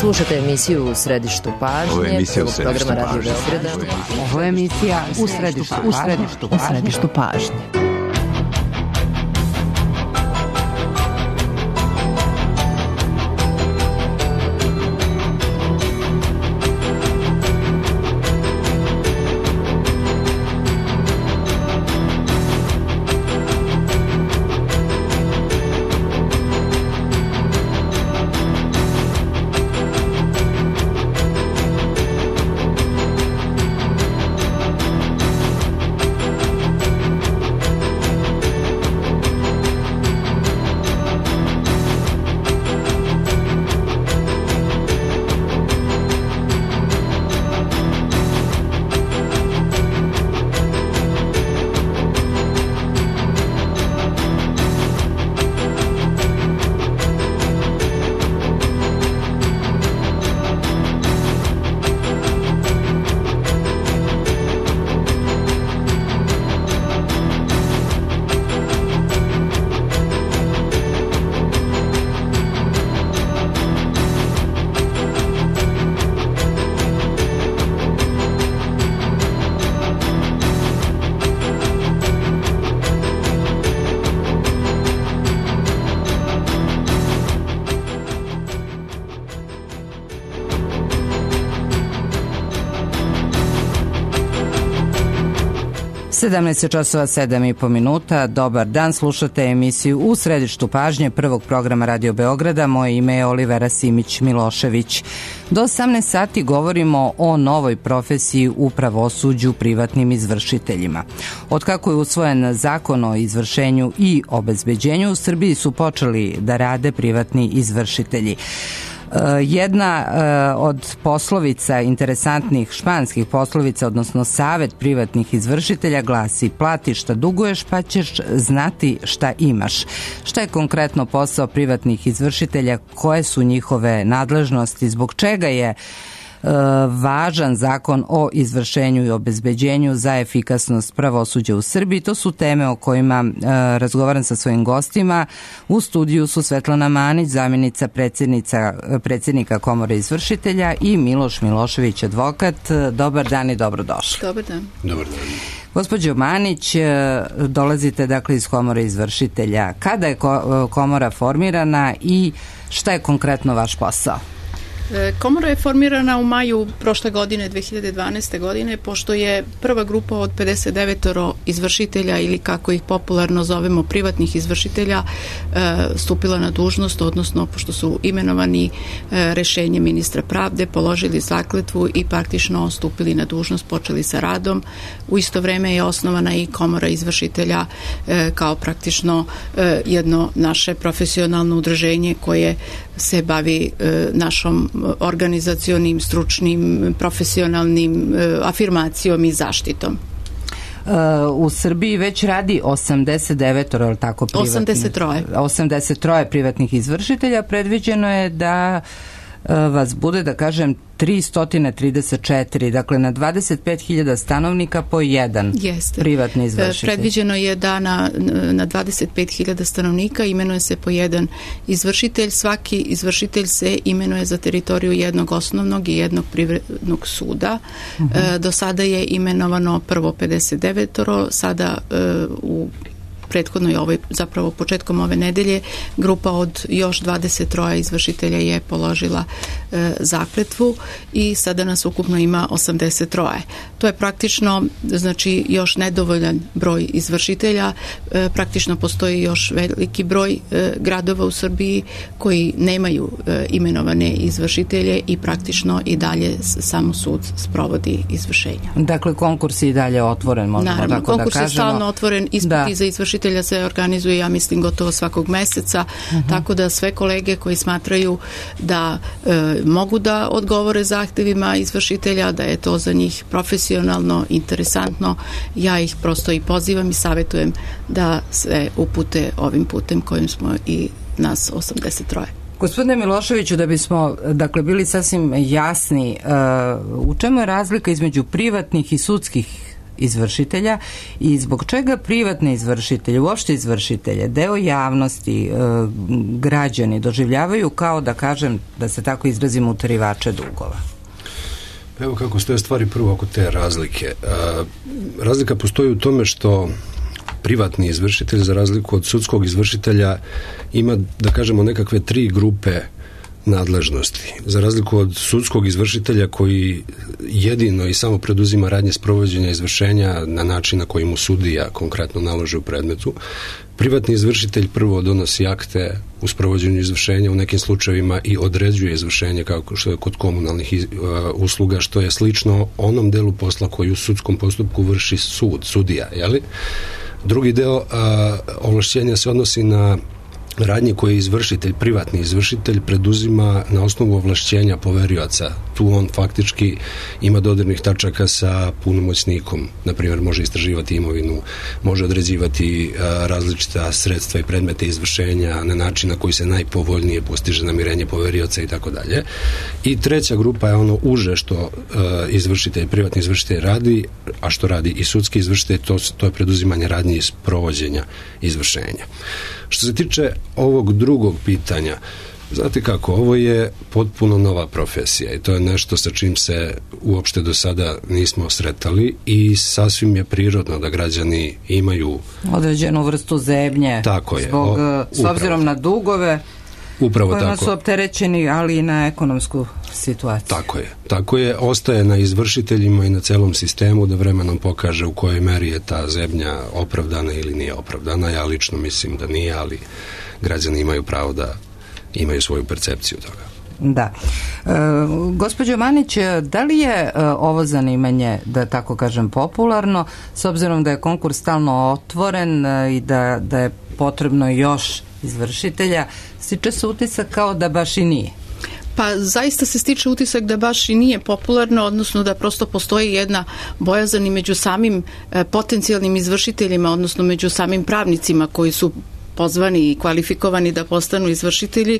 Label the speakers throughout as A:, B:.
A: Slušate emisiju U središtu pažnje.
B: Ovo je emisija U središtu
A: programa Radio Beograda.
C: Ovo je emisija U središtu pažnje. časova 7,5 minuta. Dobar dan, slušate emisiju U središtu pažnje prvog programa Radio Beograda. Moje ime je Olivera Simić-Milošević. Do 18 sati govorimo o novoj profesiji u pravosuđu privatnim izvršiteljima. Od kako je usvojen zakon o izvršenju i obezbeđenju, u Srbiji su počeli da rade privatni izvršitelji. Jedna od poslovica, interesantnih španskih poslovica, odnosno savet privatnih izvršitelja glasi: plati šta duguješ pa ćeš znati šta imaš. Šta je konkretno posao privatnih izvršitelja, koje su njihove nadležnosti, zbog čega je važan zakon o izvršenju i obezbeđenju za efikasnost pravosuđa u Srbiji? To su teme o kojima razgovaram sa svojim gostima. U studiju su Svetlana Manić, zamjenica predsjednika Komore izvršitelja, i Miloš Milošević, advokat. Dobar dan i dobrodošli.
D: Dobar dan.
B: Dobar dan.
D: Gospođo Manić, dolazite dakle iz Komore izvršitelja. Kada je Komora formirana i šta je konkretno vaš posao?
C: Komora je formirana u maju prošle godine, 2012. godine, pošto je prva grupa od 59 izvršitelja, ili kako ih popularno zovemo privatnih izvršitelja, stupila na dužnost, odnosno pošto su imenovani rešenjem ministra pravde, položili zakletvu i praktično stupili na dužnost, počeli sa radom. U isto vreme je osnovana i Komora izvršitelja kao praktično jedno naše profesionalno udruženje koje se bavi našom organizacionim, stručnim, profesionalnim afirmacijom i zaštitom.
D: U Srbiji već radi 89, je tako, privatnih? 83 privatnih izvršitelja. Predviđeno je da vas bude, da kažem, 334, dakle na 25.000 stanovnika po jedan.
C: Jeste.
D: Privatni izvršitelj. Predviđeno
C: je da na 25.000 stanovnika imenuje se po jedan izvršitelj. Svaki izvršitelj se imenuje za teritoriju jednog osnovnog i jednog privrednog suda. Do sada je imenovano prvo 59, sada u prethodnoj zapravo početkom ove nedelje grupa od još 23 izvršitelja je položila zakletvu i sada nas ukupno ima 83. To je praktično, znači, još nedovoljan broj izvršitelja. Praktično postoji još veliki broj gradova u Srbiji koji nemaju imenovane izvršitelje i praktično i dalje samo sud sprovodi izvršenja.
D: Dakle, konkurs je i dalje otvoren, možemo tako da kažemo.
C: Konkurs je stalno otvoren, ispiti za izvršitelja se organizuje, ja mislim, gotovo svakog meseca, tako da sve kolege koji smatraju da mogu da odgovore zahtevima izvršitelja, da je to za njih profesionalno, interesantno, ja ih prosto i pozivam i savjetujem da sve upute ovim putem kojim smo i nas 83.
D: Gospodine Miloševiću, da bismo bili sasvim jasni, u čemu je razlika između privatnih i sudskih
C: izvršitelja i zbog čega privatne izvršitelje, uopšte izvršitelje, deo javnosti, građani doživljavaju kao, da kažem, da se tako izrazim, utarivače dugova?
B: Evo kako stoje stvari prvo oko te razlike. Razlika postoji u tome što privatni izvršitelj, za razliku od sudskog izvršitelja, ima, da kažemo, nekakve 3 grupe nadležnosti. Za razliku od sudskog izvršitelja koji jedino i samo preduzima radnje sprovođenja izvršenja na način na koji mu sudija konkretno naloži u predmetu, privatni izvršitelj prvo donosi akte u sprovođenju izvršenja, u nekim slučajevima i određuje izvršenje kao što je kod komunalnih usluga, što je slično onom delu posla koji u sudskom postupku vrši sudija, jeli? Drugi deo ovlašćenja se odnosi na radnje koje izvršitelj, privatni izvršitelj preduzima na osnovu ovlašćenja poverioca. Tu on faktički ima dodirnih tačaka sa punomoćnikom. Na primjer, može istraživati imovinu, može određivati različita sredstva i predmete izvršenja na način na koji se najpovoljnije postiže namirenje poverioca i tako dalje. I treća grupa je ono uže što izvršitelj, privatni izvršitelj radi, a što radi i sudski izvršitelj, to je preduzimanje radnje iz provođenja izvršenja. Što se tiče ovog drugog pitanja, znate kako, ovo je potpuno nova profesija i to je nešto sa čim se uopšte do sada nismo sretali i sasvim je prirodno da građani imaju
C: određenu vrstu zebnje.
B: Tako je.
C: Zbog, s obzirom na dugove kojima su opterećeni, ali i na ekonomsku situaciju.
B: Tako je. Ostaje na izvršiteljima i na celom sistemu da vremenom pokaže u kojoj meri je ta zebnja opravdana ili nije opravdana. Ja lično mislim da nije, ali građani imaju pravo da imaju svoju percepciju toga.
C: Da. Gospođo Manić, da li je ovo zanimanje, da tako kažem, popularno, s obzirom da je konkurs stalno otvoren i da je potrebno još izvršitelja, stiče se utisak kao da baš i nije?
E: Pa zaista se stiče utisak da baš i nije popularno, odnosno da prosto postoji jedna bojazan i među samim potencijalnim izvršiteljima, odnosno među samim pravnicima koji su pozvani i kvalifikovani da postanu izvršitelji,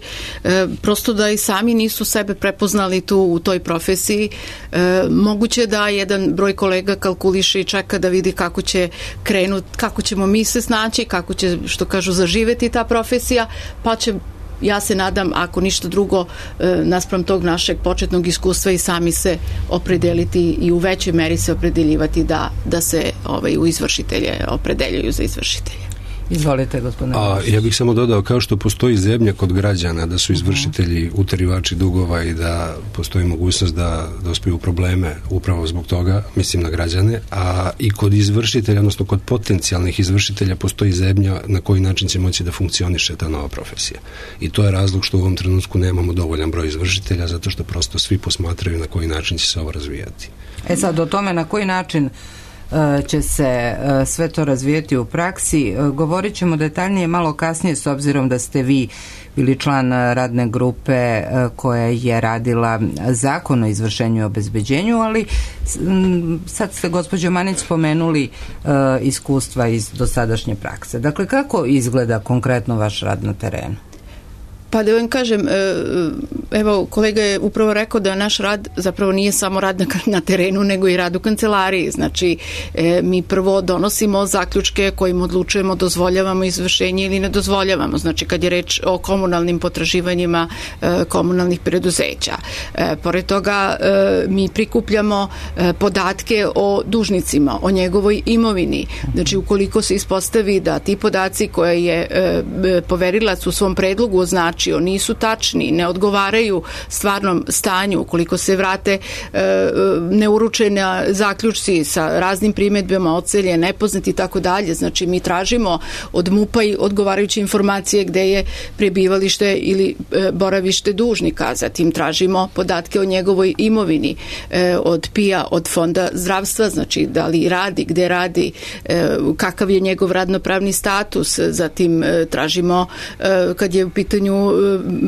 E: prosto da i sami nisu sebe prepoznali tu u toj profesiji. Moguće da jedan broj kolega kalkuliše i čeka da vidi kako će krenuti, kako ćemo mi se snaći, kako će, što kažu, zaživeti ta profesija, pa će, ja se nadam, ako ništa drugo, naspram tog našeg početnog iskustva i sami se opredeliti i u većoj meri se opredeljivati da se u izvršitelje opredeljuju za izvršitelje.
C: Izvolite, gospodine.
B: Ja bih samo dodao, kao što postoji zebnja kod građana, da su izvršitelji utarivači dugova i da postoji mogućnost da dospiju u probleme upravo zbog toga, mislim na građane, a i kod izvršitelja, odnosno kod potencijalnih izvršitelja postoji zebnja na koji način će moći da funkcioniše ta nova profesija. I to je razlog što u ovom trenutku nemamo dovoljan broj izvršitelja, zato što prosto svi posmatraju na koji način će se ovo razvijati.
C: Sad o tome na koji način će se sve to razvijeti u praksi. Govorit ćemo detaljnije malo kasnije, s obzirom da ste vi bili član radne grupe koja je radila zakon o izvršenju i obezbeđenju, ali sad ste, gospođo Manić, spomenuli iskustva iz dosadašnje prakse. Dakle, kako izgleda konkretno vaš rad na terenu?
E: Pa da vam kažem, evo, kolega je upravo rekao da naš rad zapravo nije samo rad na terenu, nego i rad u kancelariji. Znači, mi prvo donosimo zaključke kojim odlučujemo, dozvoljavamo izvršenje ili ne dozvoljavamo. Znači, kad je reč o komunalnim potraživanjima komunalnih preduzeća. Pored toga, mi prikupljamo podatke o dužnicima, o njegovoj imovini. Znači, ukoliko se ispostavi da ti podaci koje je poverilac u svom predlogu označio nisu tačni, ne odgovaraju stvarnom stanju, ukoliko se vrate neuručeni zaključci sa raznim primedbama, ocelje, nepoznati i tako dalje. Znači, mi tražimo od MUP-a i odgovarajuće informacije gde je prebivalište ili boravište dužnika. Zatim tražimo podatke o njegovoj imovini, od PIA, od Fonda zdravstva, znači da li radi, gde radi, kakav je njegov radnopravni status. Zatim tražimo, kad je u pitanju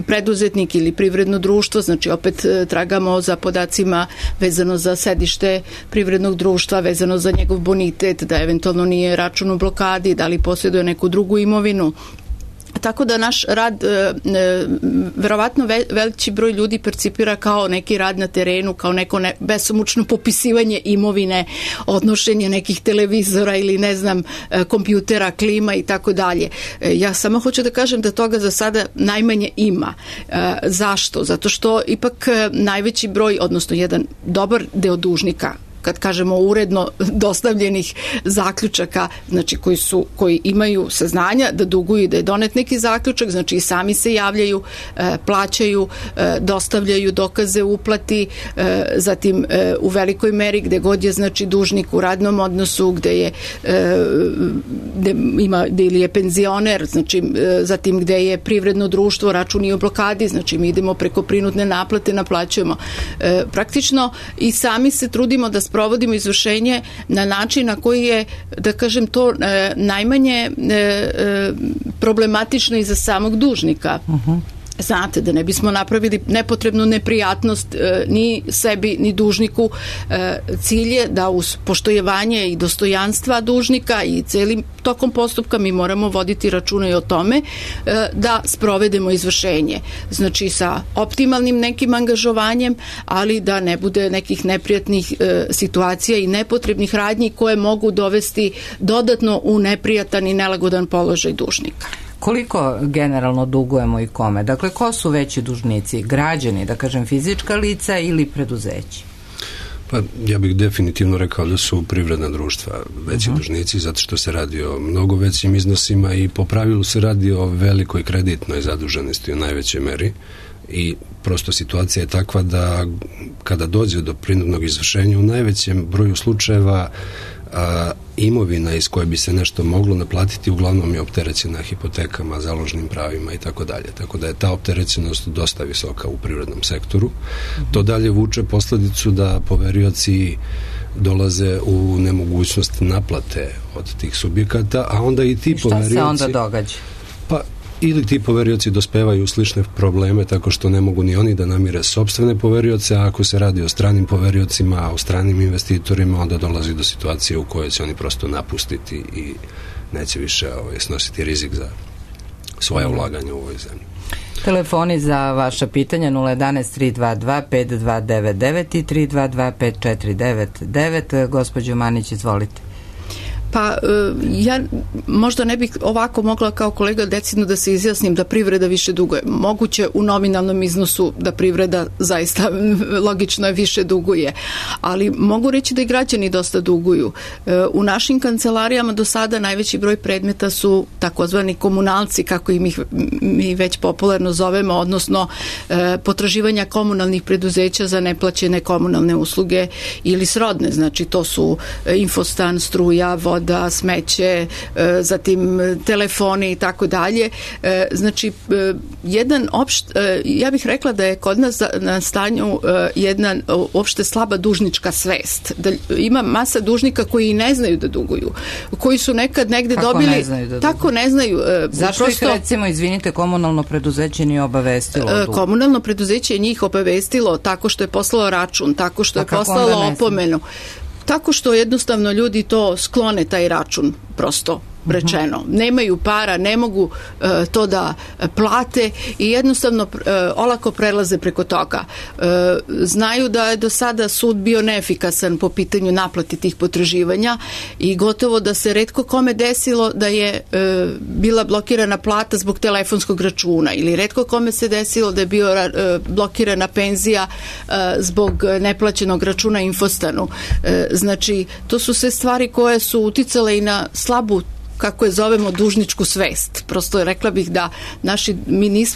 E: preduzetnik ili privredno društvo, znači opet tragamo za podacima vezano za sedište privrednog društva, vezano za njegov bonitet, da eventualno nije račun u blokadi, da li posjeduje neku drugu imovinu. tako da naš rad verovatno veliki broj ljudi percipira kao neki rad na terenu, kao neko besomučno popisivanje imovine, odnošenje nekih televizora ili ne znam kompjutera, klima i tako dalje. Ja samo hoću da kažem da toga za sada najmanje ima. Zašto? Zato što ipak najveći broj, odnosno jedan dobar deo dužnika, kad kažemo uredno dostavljenih zaključaka, znači koji imaju saznanja da duguju i da je donet neki zaključak, znači i sami se javljaju, plaćaju, dostavljaju dokaze uplati, zatim u velikoj meri gde god je znači dužnik u radnom odnosu, gde ili je penzioner, znači zatim gde je privredno društvo, račun je u blokadi, znači mi idemo preko prinudne naplate, naplaćujemo. Praktično i sami se trudimo da provodimo izvršenje na način na koji je, da kažem, to najmanje problematično i za samog dužnika. Znate, da ne bismo napravili nepotrebnu neprijatnost ni sebi, ni dužniku. Cilj je da uz poštojevanje i dostojanstva dužnika i celim tokom postupka mi moramo voditi računa i o tome da sprovedemo izvršenje. Znači sa optimalnim nekim angažovanjem, ali da ne bude nekih neprijatnih situacija i nepotrebnih radnji koje mogu dovesti dodatno u neprijatan i nelagodan položaj dužnika.
C: Koliko generalno dugujemo i kome? Dakle, ko su veći dužnici? Građani, da kažem, fizička lica ili preduzeći?
B: Pa ja bih definitivno rekao da su privredna društva veći dužnici, zato što se radi o mnogo većim iznosima i po pravilu se radi o velikoj kreditnoj zaduženosti u najvećoj meri i prosto situacija je takva da kada dođe do prinudnog izvršenja u najvećem broju slučajeva imovina iz koje bi se nešto moglo naplatiti uglavnom je opterećena hipotekama, založnim pravima i tako dalje. Tako da je ta opterećenost dosta visoka u privrednom sektoru. To dalje vuče posledicu da poverioci dolaze u nemogućnost naplate od tih subjekata, a onda i ti poverioci...
C: I šta se onda događa?
B: Pa ili ti poverioci dospevaju u slične probleme tako što ne mogu ni oni da namire sopstvene poverioce, a ako se radi o stranim poveriocima, o stranim investitorima, onda dolazi do situacije u kojoj će oni prosto napustiti i neće više snositi rizik za svoje ulaganje u ovoj zemlji.
C: Telefoni za vaša pitanja 011-322-5299 i 322-5499. Gospođo Manić, izvolite.
E: Pa ja možda ne bih ovako mogla kao kolega decidno da se izjasnim da privreda više duguje. Moguće u nominalnom iznosu da privreda zaista logično je više duguje, ali mogu reći da i građani dosta duguju. U našim kancelarijama do sada najveći broj predmeta su takozvani komunalci, kako ih mi već popularno zovemo, odnosno potraživanja komunalnih preduzeća za neplaćene komunalne usluge ili srodne. Znači to su infostan, struja, voda, smeće, zatim telefoni i tako dalje. Znači, ja bih rekla da je kod nas na stanju jedna uopšte slaba dužnička svest. Da ima masa dužnika koji ne znaju da duguju, koji su nekad negde dobili... Tako ne znaju.
C: Zašto ih recimo, izvinite, komunalno preduzeće nije obavestilo?
E: Komunalno preduzeće je njih obavestilo tako što je poslalo račun, tako što je poslalo opomenu. Tako što jednostavno ljudi to sklone taj račun, prosto rečeno. Nemaju para, ne mogu to da plate i jednostavno olako prelaze preko toga. Znaju da je do sada sud bio neefikasan po pitanju naplati tih potraživanja i gotovo da se retko kome desilo da je bila blokirana plata zbog telefonskog računa ili retko kome se desilo da je bio blokirana penzija zbog neplaćenog računa Infostanu. Znači, to su sve stvari koje su uticale i na slabu, kako je zovemo, dužničku svest. Prosto rekla bih da mi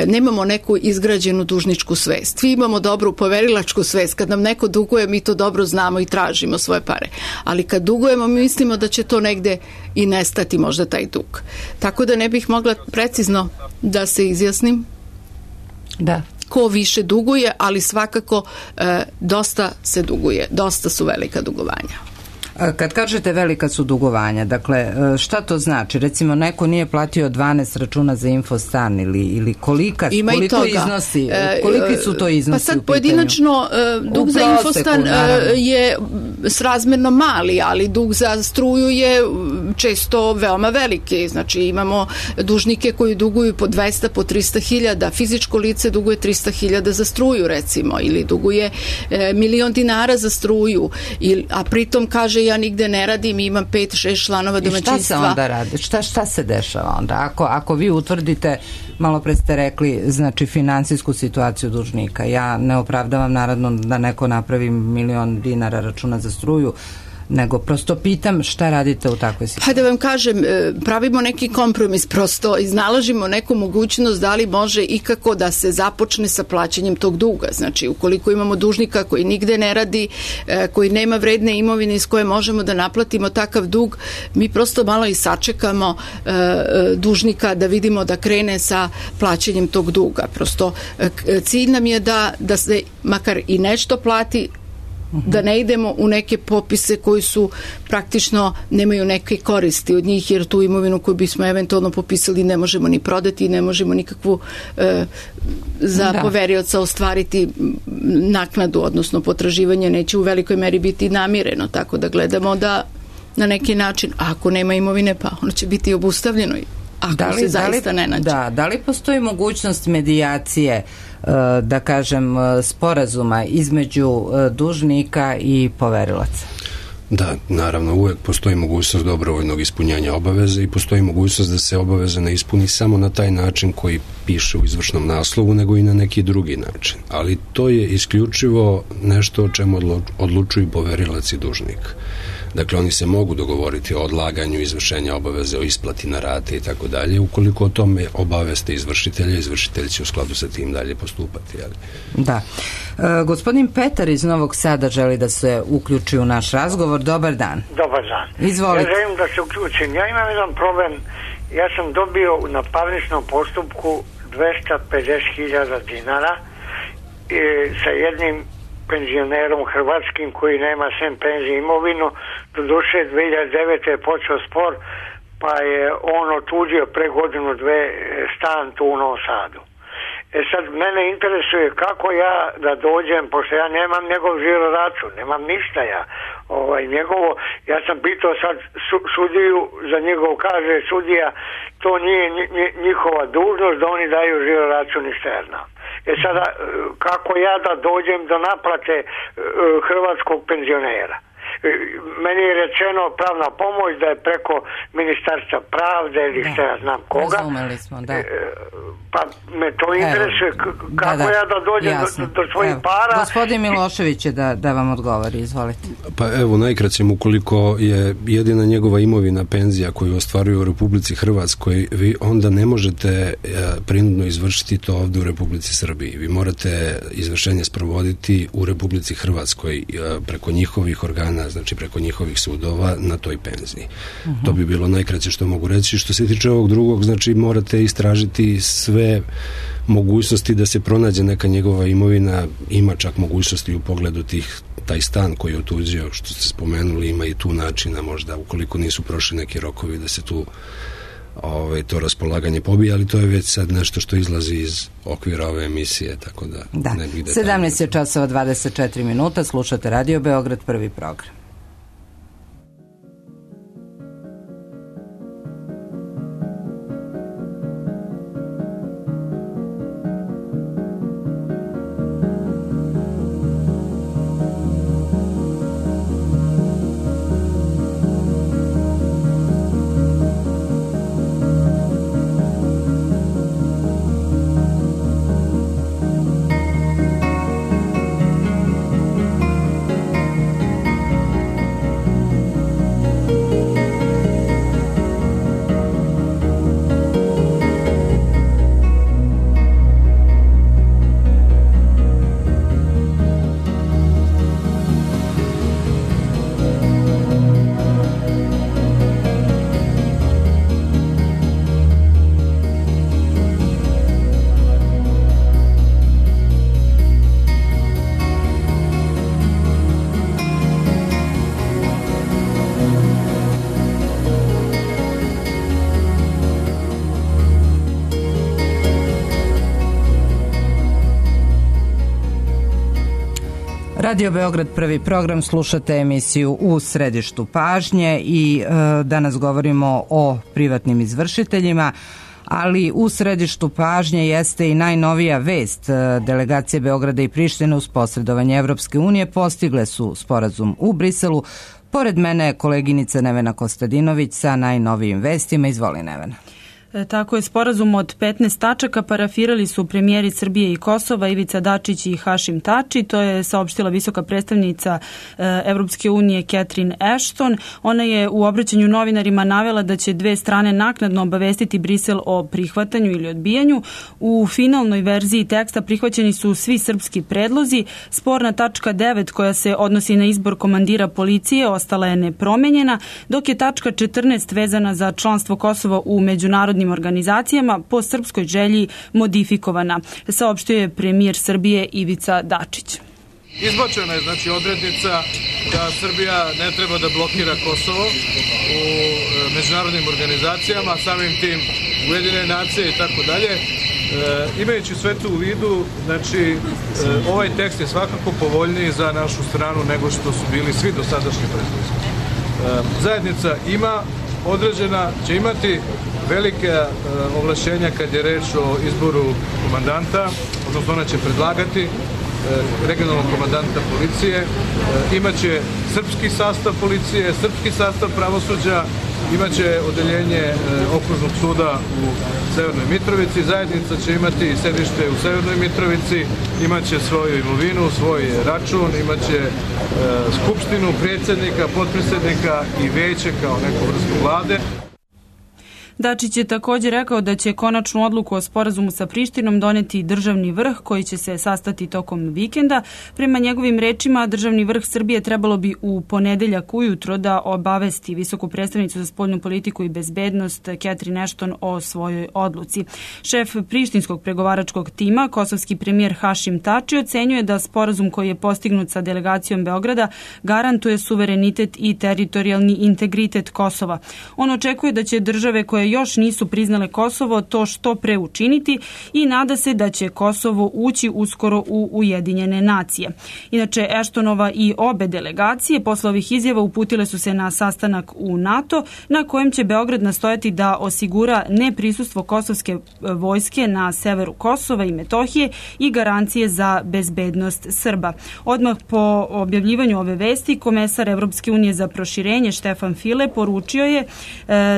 E: nemamo neku izgrađenu dužničku svest. Svi imamo dobru poverilačku svest. Kad nam neko duguje, mi to dobro znamo i tražimo svoje pare. Ali kad dugujemo, mi mislimo da će to negde i nestati možda taj dug. Tako da ne bih mogla precizno da se izjasnim.
C: Da.
E: Ko više duguje, ali svakako dosta se duguje. Dosta su velika dugovanja.
C: Kad kažete velika su dugovanja, dakle, šta to znači? Recimo, neko nije platio 12 računa za Infostan ili koliko iznosi, koliki su to iznosi?
E: Pa sad pojedinačno dug za Infostan je srazmjerno mali, ali dug za struju je često veoma veliki. Znači, imamo dužnike koji duguju po 200, po 300.000, fizičko lice duguje 300.000 za struju, recimo, ili duguje 1.000.000 dinara za struju, a pritom kaže ja nigde ne radim, imam 5-6 članova domaćinstva.
C: I šta se onda radi? Šta se dešava onda? Ako vi utvrdite, malo pre ste rekli, znači finansijsku situaciju dužnika, ja ne opravdavam naravno da neko napravi 1.000.000 dinara računa za struju, nego prosto pitam šta radite u takvoj situaciji.
E: Pa da vam kažem, pravimo neki kompromis, prosto iznalažimo neku mogućnost da li može ikako da se započne sa plaćanjem tog duga. Znači, ukoliko imamo dužnika koji nigde ne radi, koji nema vredne imovine iz koje možemo da naplatimo takav dug, mi prosto malo i sačekamo dužnika da vidimo da krene sa plaćanjem tog duga. Prosto cilj nam je da se makar i nešto plati, da ne idemo u neke popise koji su praktično nemaju neke koristi od njih, jer tu imovinu koju bismo eventualno popisali ne možemo ni prodati, ne možemo nikakvu za poverioca ostvariti naknadu, odnosno potraživanje neće u velikoj meri biti namireno, tako da gledamo da na neki način, ako nema imovine, pa ono će biti obustavljeno ako se zaista ne nađe.
C: Da li postoji mogućnost medijacije, da kažem, sporazuma između dužnika i poverilaca?
B: Da, naravno, uvek postoji mogućnost dobrovoljnog ispunjanja obaveze i postoji mogućnost da se obaveza ne ispuni samo na taj način koji piše u izvršnom naslovu, nego i na neki drugi način. Ali to je isključivo nešto o čemu odlučuju poverilac i dužnik. Dakle, oni se mogu dogovoriti o odlaganju izvršenja obaveze, o isplati na rate i tako dalje. Ukoliko o tome obaveste izvršitelja, izvršitelj će u skladu sa tim dalje postupati. Ali.
C: Da. Gospodin Petar iz Novog Sada želi da se uključi u naš razgovor. Dobar dan.
F: Dobar dan.
C: Izvolite.
F: Ja želim da se uključim. Ja imam jedan problem. Ja sam dobio na parničnom postupku 250.000 dinara sa jednim penzionerom hrvatskim koji nema sem penzije imovinu. Do duše 2009. je počeo spor, pa je on otuđio pre godinu dve stan tu u Novom Sadu. Sad mene interesuje kako ja da dođem, pošto ja nemam njegov žiro račun, nemam ništa njegovo. Ja sam pitao sad sudiju za njegov, kaže sudija, to nije njihova dužnost da oni daju žiro račun externo. Sada, kako ja da dođem do naplate hrvatskog penzionera? Meni je rečeno pravna pomoć da je preko Ministarstva pravde ili šta ja znam koga.
C: Razumeli smo, da.
F: Pa me to interesuje kako ja da dođem do svojih para.
C: Gospodin Milošević je da vam odgovori, izvolite.
B: Pa evo, najkraćem, ukoliko je jedina njegova imovina penzija koju ostvaruje u Republici Hrvatskoj, vi onda ne možete prinudno izvršiti to ovde u Republici Srbiji. Vi morate izvršenje sprovoditi u Republici Hrvatskoj preko njihovih organa, znači preko njihovih sudova na toj penziji. To bi bilo najkraće što mogu reći. Što se tiče ovog drugog, znači morate istražiti sve mogućnosti da se pronađe neka njegova imovina, ima čak mogućnosti u pogledu taj stan koji je otuđio, što ste spomenuli, ima i tu načina možda, ukoliko nisu prošli neki rokovi da se tu to raspolaganje pobije, ali to je već sad nešto što izlazi iz okvira ove emisije, tako da ne bih detaljno.
C: 17 je časova 24 minuta, slušate Radio Beograd, prvi program. Radio Beograd, prvi program, slušate emisiju U središtu pažnje i danas govorimo o privatnim izvršiteljima, ali u središtu pažnje jeste i najnovija vest. Delegacije Beograda i Prištine uz posredovanje Evropske unije postigle su sporazum u Briselu. Pored mene je koleginica Nevena Kostadinović sa najnovijim vestima. Izvoli, Nevena.
G: Tako je, sporazum od 15 tačaka parafirali su premijeri Srbije i Kosova Ivica Dačić i Hašim Tači. To je saopštila visoka predstavnica Evropske unije Catherine Ashton. Ona je u obraćanju novinarima navela da će dve strane naknadno obavestiti Brisel o prihvatanju ili odbijanju. U finalnoj verziji teksta prihvaćeni su svi srpski predlozi. Sporna tačka 9 koja se odnosi na izbor komandira policije ostala je nepromenjena, dok je tačka 14 vezana za članstvo Kosova u međunarodnim organizacijama po srpskoj želji modifikovana, saopštio je premijer Srbije Ivica Dačić.
H: Izbačena je znači odrednica da Srbija ne treba da blokira Kosovo u međunarodnim organizacijama, samim tim Ujedinjene nacije i tako dalje. Imajući sve to u vidu, znači ovaj tekst je svakako povoljniji za našu stranu nego što su bili svi dosadašnji predlozi. Zajednica ima određena, će imati velike ovlašćenja kad je reč o izboru komandanta, odnosno ona će predlagati regionalnog komandanta policije, imaće srpski sastav policije, srpski sastav pravosuđa, imaće odeljenje okružnog suda u Severnoj Mitrovici, zajednica će imati sedište u Severnoj Mitrovici, imaće svoju imovinu, svoj račun, imaće skupštinu, predsjednika, potpredsjednika i veće kao neku vrstu vlade.
G: Dačić je također rekao da će konačnu odluku o sporazumu sa Prištinom doneti državni vrh koji će se sastati tokom vikenda. Prema njegovim rečima, državni vrh Srbije trebalo bi u ponedeljak ujutro da obavesti visoku predstavnicu za spoljnu politiku i bezbednost Catherine Ashton o svojoj odluci. Šef prištinskog pregovaračkog tima, kosovski premijer Hašim Tači, ocenjuje da sporazum koji je postignut sa delegacijom Beograda garantuje suverenitet i teritorijalni integritet Kosova. On očekuje da će države koje još nisu priznale Kosovo to što pre učiniti i nada se da će Kosovo ući uskoro u Ujedinjene nacije. Inače, Ashtonova i obe delegacije posle ovih izjava uputile su se na sastanak u NATO, na kojem će Beograd nastojati da osigura neprisustvo kosovske vojske na severu Kosova i Metohije i garancije za bezbednost Srba. Odmah po objavljivanju ove vesti, komesar Evropske unije za proširenje Štefan File poručio je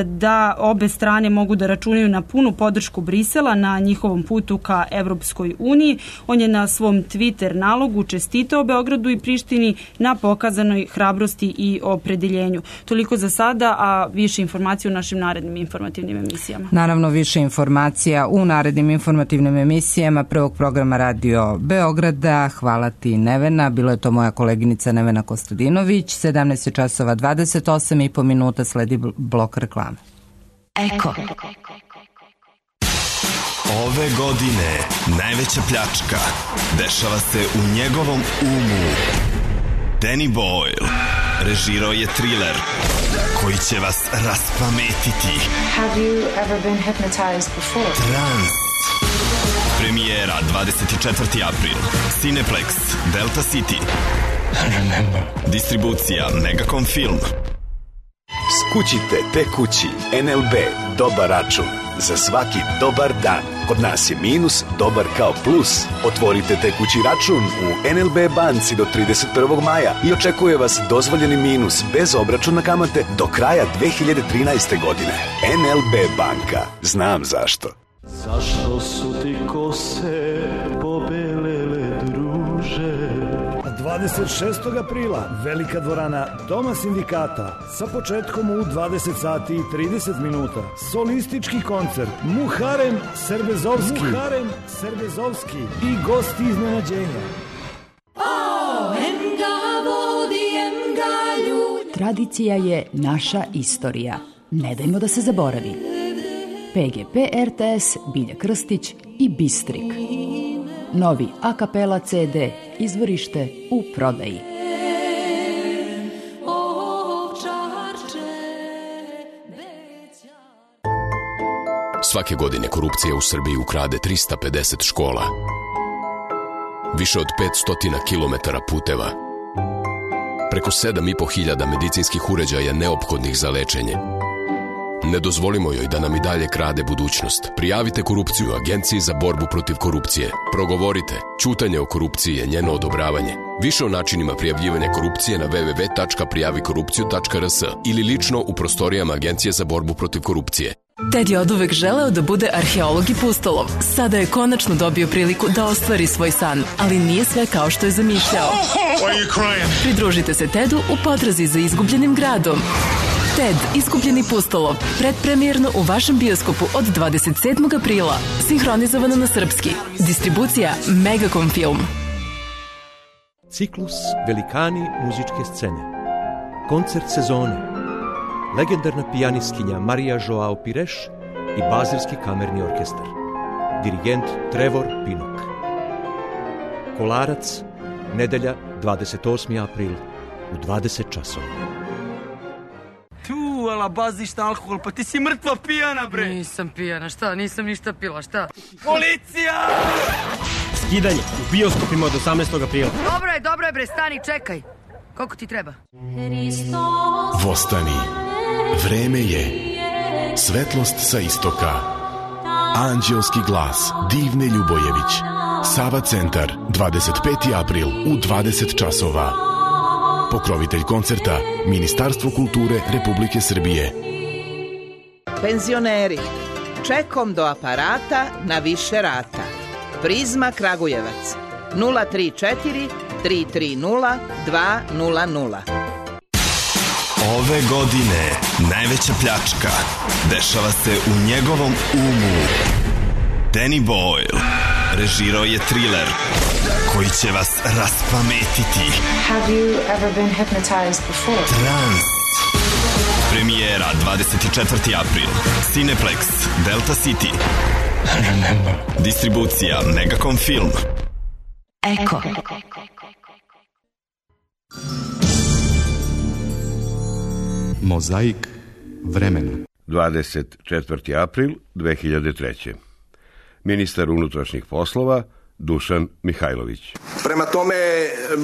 G: da obe strane mogu da računaju na punu podršku Brisela na njihovom putu ka Evropskoj uniji. On je na svom Twitter nalogu čestitao Beogradu i Prištini na pokazanoj hrabrosti i opredeljenju. Toliko za sada, a više informacija u našim narednim informativnim emisijama.
C: Naravno, više informacija u narednim informativnim emisijama prvog programa Radio Beograda. Hvala ti, Nevena. Bilo je to moja koleginica Nevena Kostadinović. 17 časova 28,5 minuta, sledi blok reklame.
I: Eko.
J: Ove godine najveća pljačka dešava se u njegovom umu. Danny Boyle režirao je thriller koji će vas raspametiti.
I: Have you ever been hypnotized before?
J: Trans. Premijera 24. april. Cineplex, Delta City.
K: Remember.
J: Distribucija Megacom Film.
L: Skućite te kući NLB dobar račun. Za svaki dobar dan. Kod nas je minus dobar kao plus. Otvorite te kući račun u NLB banci do 31. maja i očekuje vas dozvoljeni minus bez obračuna kamate do kraja 2013. godine. NLB banka. Znam zašto.
M: Zašto su ti kose pobelele, druže?
N: 26. aprila velika dvorana Doma sindikata sa početkom u 20 sati i 30 minuta. Solistički koncert Muharem Serbezovski i gosti iznenađenja.
O: Tradicija je naša istorija. Ne dajmo da se zaboravi. PGP RTS, Bilja Krstić i Bistrik. Novi a kapela CD, izvorište u prodaji.
P: Svake godine korupcija u Srbiji ukrade 350 škola.
K: više od 500 kilometara puteva, preko 7.500 medicinskih uređaja neophodnih za lečenje. Ne dozvolimo joj da nam i dalje krade budućnost. Prijavite korupciju Agenciji za borbu protiv korupcije. Progovorite. Ćutanje o korupciji je njeno odobravanje. Više o načinima prijavljivanja korupcije na www.prijavikorupciju.rs ili lično u prostorijama Agencije za borbu protiv korupcije.
P: Ted je oduvek želeo da bude arheolog i pustolov. Sada je konačno dobio priliku da ostvari svoj san, ali nije sve kao što je zamišljao. Pridružite se Tedu u potrazi za izgubljenim gradom. Ted, izgubljeni pustolov, predpremijerno u vašem bioskopu od 27. aprila. Sinhronizovano na srpski. Distribucija Megacom Film.
Q: Ciklus Velikani muzičke scene. Koncert sezone. Legendarna pijanistkinja Marija Joao Pires i Bazilski kamerni orkestar. Dirigent Trevor Pinnock. Kolarac, nedelja 28. april u 20 časova.
R: Tu, ala baziš na alkohol, pa ti si mrtva pijana, bre.
S: Nisam pijana, šta? Nisam ništa pila, šta?
R: Policija!
Q: Skidanje u bioskopima od 18. aprila.
S: Dobro je, bre, stani, čekaj. Koliko ti treba?
J: Vostani. Vreme je. Svetlost sa istoka. Anđelski glas Divne Ljubojević. Sava centar, 25. april u 20 časova. Pokrovitelj koncerta Ministarstvo kulture Republike Srbije.
T: Penzioneri, čekom do aparata na više rata. Prizma Kragujevac 034 330 200.
J: Ove godine najveća pljačka dešava se u njegovom umu. Danny Boyle režirao je thriller koji će vas raspametiti.
I: Have you ever been hypnotized before?
J: Trans. Premijera 24. april. Cineplex, Delta City. Remember. Distribucija Megacom Film.
O: Eko.
U: Mozaik vremena.
V: 24. april 2003. Ministar unutrašnjih poslova Dušan Mihajlović.
W: Prema tome,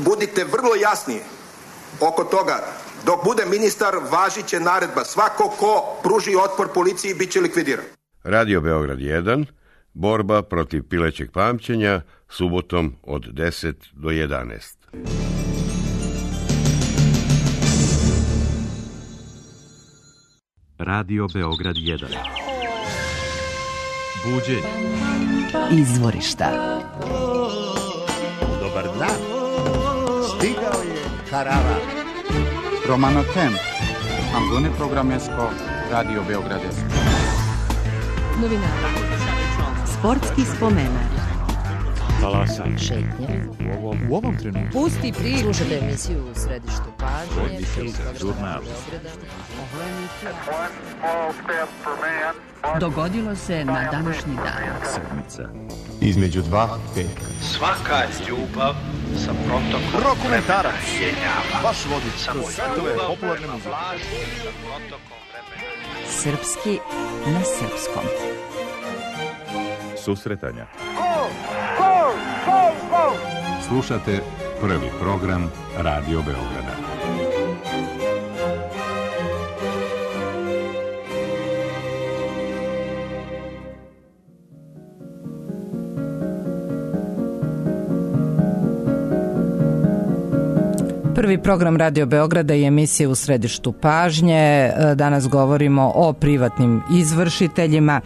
W: budite vrlo jasni oko toga. Dok bude ministar, važit će naredba. Svako ko pruži otpor policiji bit će likvidiran.
V: Radio Beograd 1. Borba protiv pilećeg pamćenja subotom od 10 do 11.
U: Radio Beograd 1. Buđenje.
O: Izvorišta.
X: Dobar dan. Stigao je Karava. Romano Temp. Ambune Programesko. Radio Beograd 1.
O: Novinara. Sportski spomenar.
X: Talasaj.
O: Šetnje.
X: U ovom trenutku.
O: Pusti priču. Slušate emisiju u središtu pažnje.
X: Žurnal.
O: Dogodilo se na današnji dan.
X: Sedmica. Između dva petka.
Y: Svaka ljubav sa protokom
X: Rokomentarac.
Y: Vaš vodič kroz
X: svetove popularne muzike.
O: Srpski na srpskom.
X: Susretanja. Slušate prvi program Radio Beograda.
C: Prvi program Radio Beograda i emisije u središtu pažnje. Danas govorimo o privatnim izvršiteljima.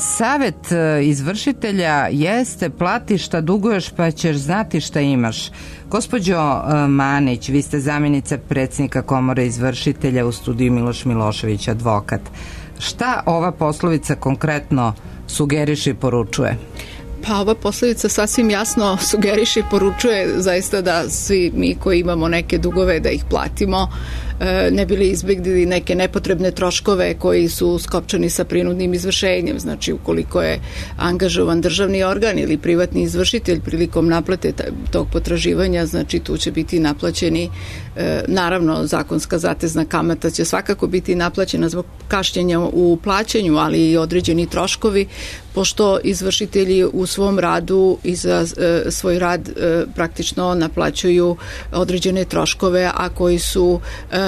C: Savet izvršitelja jeste plati šta duguješ pa ćeš znati šta imaš. Gospođo Manić, vi ste zamjenica predsjednika Komore izvršitelja u studiju Miloš Milošević, advokat. Šta ova poslovica konkretno sugeriše i poručuje?
E: Pa ova poslovica sasvim jasno sugeriše i poručuje zaista da svi mi koji imamo neke dugove da ih platimo. ne bili izbjegli neke nepotrebne troškove koji su skopčani sa prinudnim izvršenjem. Znači, ukoliko je angažovan državni organ ili privatni izvršitelj prilikom naplate tog potraživanja, znači tu će biti naplaćeni, naravno zakonska zatezna kamata će svakako biti naplaćena zbog kašnjenja u plaćanju, ali i određeni troškovi, pošto izvršitelji u svom radu i za svoj rad praktično naplaćuju određene troškove, a koji su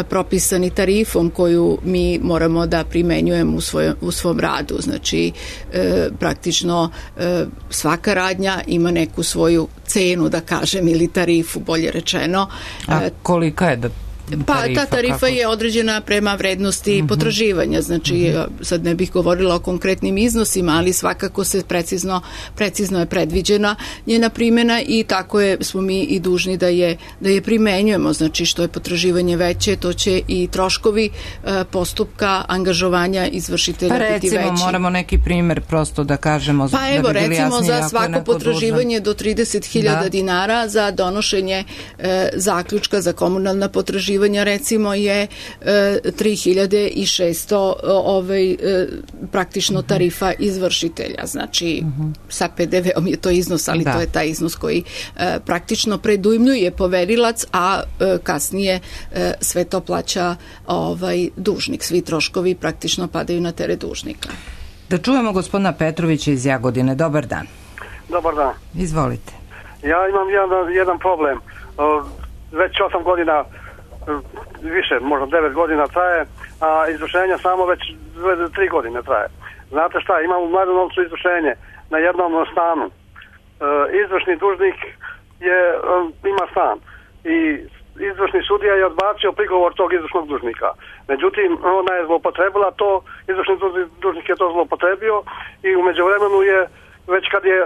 E: propisani tarifom koju mi moramo da primenjujemo u svom radu. Znači, praktično svaka radnja ima neku svoju cenu, da kažem, ili tarifu, bolje rečeno.
C: A kolika je
E: Ta tarifa je određena prema vrednosti potraživanja, znači sad ne bih govorila o konkretnim iznosima, ali svakako se precizno je predviđena njena primjena i tako smo mi i dužni da je primenjujemo. Znači, što je potraživanje veće, to će i troškovi postupka angažovanja izvršitelja biti veći.
C: Recimo, moramo neki primjer prosto da kažemo.
E: Pa evo, recimo za svako potraživanje do 30.000 dinara za donošenje zaključka za komunalna potraživanja recimo je 3.600 praktično tarifa izvršitelja. Znači, sa PDV-om je to iznos, ali to je taj iznos koji praktično predujmljuje poverilac, a kasnije sve to plaća dužnik. Svi troškovi praktično padaju na teret dužnika.
C: Da čujemo gospodina Petrovića iz Jagodine. Dobar dan.
A: Dobar dan.
C: Izvolite.
A: Ja imam jedan problem. Već 8 godina, više, možda 9 godina traje, a izvršenja samo već 3 godine traje. Znate šta, imam u Mladenovcu izvršenje na jednom stanu. Izvršni dužnik ima stan i izvršni sudija je odbacio prigovor tog izvršnog dužnika. Međutim, ona je zloupotrebila to, izvršni dužnik je to zloupotrebio i u međuvremenu je, već kad je,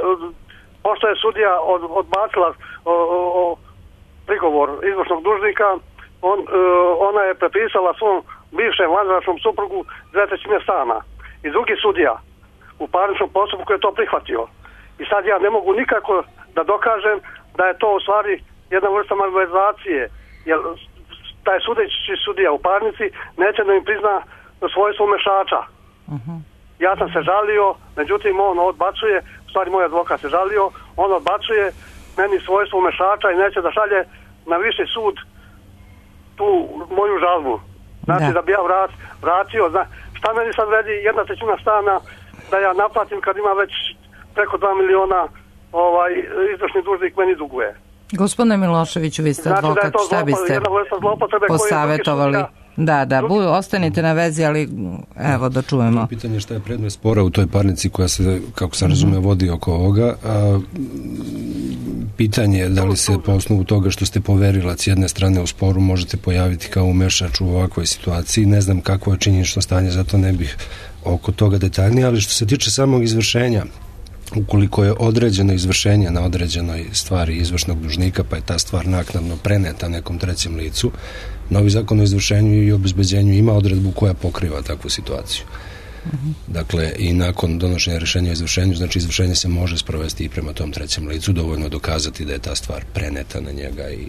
A: pošto je sudija odbacila prigovor izvršnog dužnika, ona je prepisala svom bivšem vanbračnom suprugu 2/3 stana. I drugi sudija u parničnom postupku je to prihvatio. I sad ja ne mogu nikako da dokažem da je to u stvari jedna vrsta malverzacije, jer taj sudeći sudija u parnici neće da im prizna svojstvo umešača. Ja sam se žalio, međutim on odbacuje, u stvari moj advokat se žalio, on odbacuje meni svojstvo umešača i neće da šalje na viši sud tu moju žalbu. Znači da bi ja vratio, šta meni sad vredi 1/3 stana da ja naplatim kad ima već preko 2 miliona izvršni dužnik meni duguje.
C: Gospodine Miloševiću, vi ste advokat, šta biste posavjetovali? Da, ostanite na vezi, ali evo da čujemo.
B: Pitanje je šta je predmet spora u toj parnici koja se, kako sam razumio, vodi oko ovoga. Pitanje je da li se po osnovu toga što ste poverilac jedne strane u sporu možete pojaviti kao umešač u ovakvoj situaciji. Ne znam kakvo je činjenično stanje, zato ne bih oko toga detaljnije, ali što se tiče samog izvršenja, ukoliko je određeno izvršenje na određenoj stvari izvršnog dužnika, pa je ta stvar naknadno preneta nekom trećem licu, novi zakon o izvršenju i obezbeđenju ima odredbu koja pokriva takvu situaciju. Dakle, i nakon donošenja rješenja o izvršenju, znači izvršenje se može sprovesti i prema tom trećem licu, dovoljno dokazati da je ta stvar preneta na njega i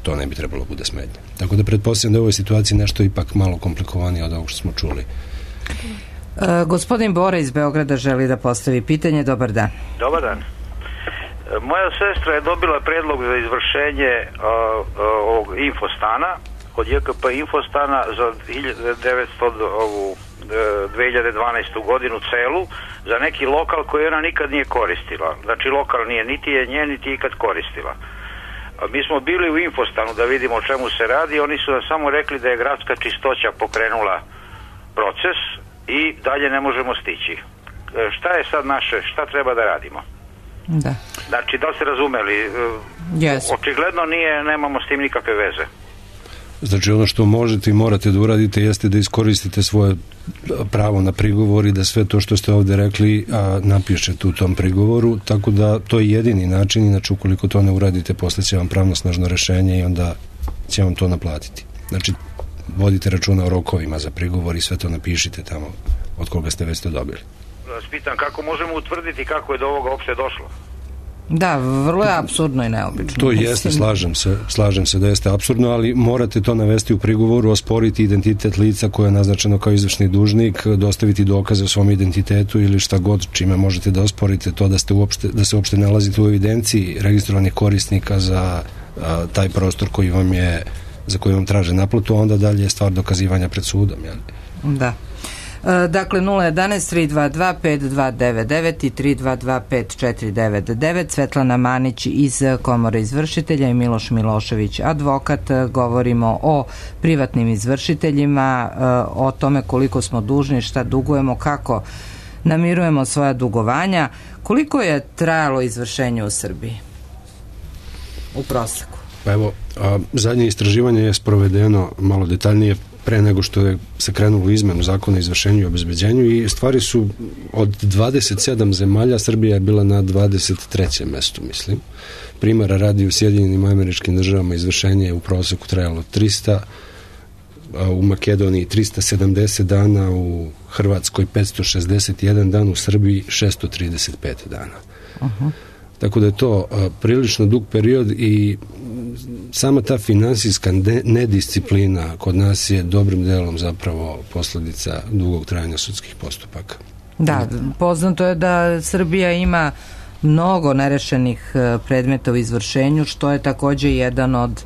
B: to ne bi trebalo bude smetnje. Tako da pretpostavljam da je u ovoj situaciji nešto ipak malo komplikovanije od ovog što smo čuli.
C: Gospodin Bora iz Beograda želi da postavi pitanje. Dobar dan.
D: Dobar dan. Moja sestra je dobila predlog za izvršenje ovog infostana od JKP infostana za 2012. godinu celu za neki lokal koji ona nikad nije koristila. Znači lokal nije niti je nje niti ikad koristila. Mi smo bili u infostanu da vidimo o čemu se radi. Oni su nam samo rekli da je gradska čistoća pokrenula proces i dalje ne možemo stići. Šta je sad naše, šta treba da radimo?
C: Da.
D: Znači, da li ste razumeli?
C: Yes.
D: Očigledno nemamo s tim nikakve veze.
B: Znači, ono što možete i morate da uradite jeste da iskoristite svoje pravo na prigovor i da sve to što ste ovdje rekli napišete u tom prigovoru, tako da to je jedini način, inače ukoliko to ne uradite, posle će vam pravnosnažno rešenje i onda će vam to naplatiti. Znači, vodite računa o rokovima za prigovor i sve to napišite tamo od koga ste već to dobili.
D: Vas pitam kako možemo utvrditi kako je do ovoga uopšte došlo?
C: Da, vrlo je apsurdno i neobično.
B: To jeste, slažem se da jeste apsurdno, ali morate to navesti u prigovoru, osporiti identitet lica koje je naznačeno kao izvršni dužnik, dostaviti dokaze o svom identitetu ili šta god čime možete da osporite to da se uopšte nalazite u evidenciji registrovanih korisnika za taj prostor za koji vam traže naplatu, a onda dalje je stvar dokazivanja pred sudom. Jel?
C: Da. Dakle 011-322-5299 i 322-5499. Svetlana Manić iz Komore izvršitelja i Miloš Milošević, advokat. Govorimo o privatnim izvršiteljima, o tome koliko smo dužni, šta dugujemo, kako namirujemo svoja dugovanja. Koliko je trajalo izvršenje u Srbiji u proseku?
B: Pa evo, zadnje istraživanje je sprovedeno malo detaljnije pre nego što je se krenulo u izmenu zakona o izvršenju i obezbeđenju i stvari su od 27 zemalja, Srbija je bila na 23. mestu, mislim. Primjera radi u Sjedinjenim Američkim Državama izvršenje je u proseku trajalo 300, u Makedoniji 370 dana, u Hrvatskoj 561 dan, u Srbiji 635 dana. Tako da je to prilično dug period i sama ta finansijska nedisciplina kod nas je dobrim delom zapravo posljedica dugog trajanja sudskih postupaka.
C: Da, poznato je da Srbija ima mnogo nerešenih predmeta u izvršenju, što je također jedan od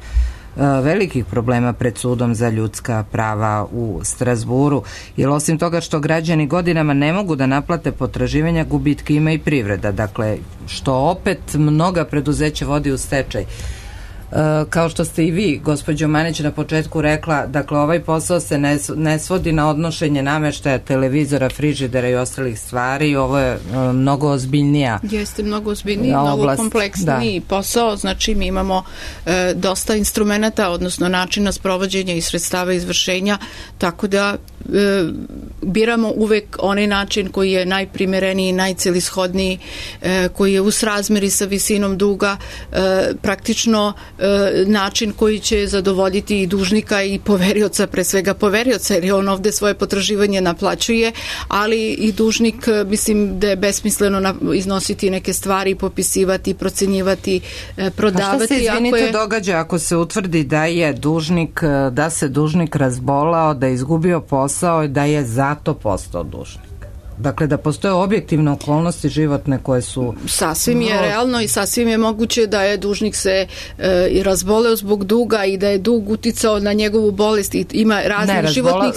C: velikih problema pred sudom za ljudska prava u Strazburu, jer osim toga što građani godinama ne mogu da naplate potraživanja, gubitke ima i privreda, dakle što opet mnoga preduzeća vodi u stečaj. Kao što ste i vi, gospođo Manić, na početku rekla, dakle ovaj posao se ne svodi na odnošenje nameštaja, televizora, frižidera i ostalih stvari, ovo je mnogo ozbiljnija
E: Jeste mnogo ozbiljniji, mnogo kompleksniji posao, znači mi imamo dosta instrumenata, odnosno načina sprovođenja i sredstava izvršenja, tako da biramo uvek onaj način koji je najprimereniji, najcelishodniji, koji je u srazmeri sa visinom duga, praktično način koji će zadovoljiti i dužnika i poverioca, pre svega poverioca, jer on ovde svoje potraživanje naplaćuje, ali i dužnik, mislim da je besmisleno iznositi neke stvari, popisivati, procenjivati, prodavati.
C: A šta se, izvinite, događa ako se utvrdi da se dužnik razbolao, da je izgubio posao i da je zato postao dužnik? Dakle, da postoje objektivne okolnosti životne koje su...
E: Sasvim je realno i sasvim je moguće da je dužnik se i razboleo zbog duga i da je dug uticao na njegovu bolest i ima raznih životnih...